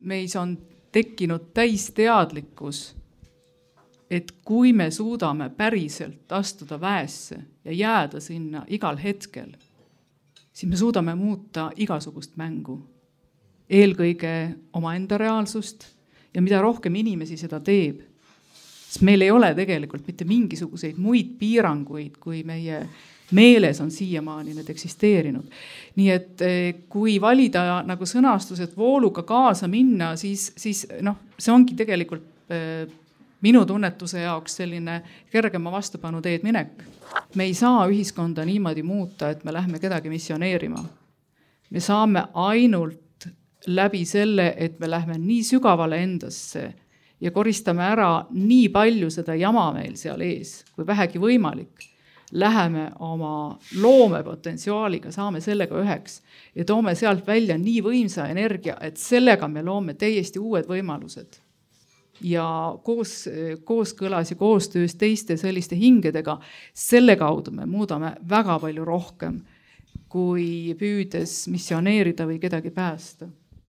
meis on tekkinud täisteadlikkus, et kui me suudame päriselt astuda väesse ja jääda sinna igal hetkel, siis me suudame muuta igasugust mängu. Eelkõige omaenda reaalsust ja mida rohkem inimesi seda teeb, siis meil ei ole tegelikult mitte mingisuguseid muid piiranguid, kui meie meeles on siiamaani need eksisteerinud. Nii et kui valida nagu sõnastus, et vooluga kaasa minna, siis see ongi tegelikult minu tunnetuse jaoks selline kergema vastupanu teed minek. Me ei saa ühiskonda niimoodi muuta, et me lähme kedagi missioneerima. Me saame ainult läbi selle, et me lähme nii sügavale endasse ja koristame ära nii palju seda jama meil seal ees, kui vähegi võimalik. Läheme oma loomepotentsiaaliga, saame sellega üheks ja toome sealt välja nii võimsa energia, et sellega me loome täiesti uued võimalused. Ja kooskõlas ja koostöös teiste selliste hingedega, selle kaudu me muudame väga palju rohkem, kui püüdes missioneerida või kedagi päästa.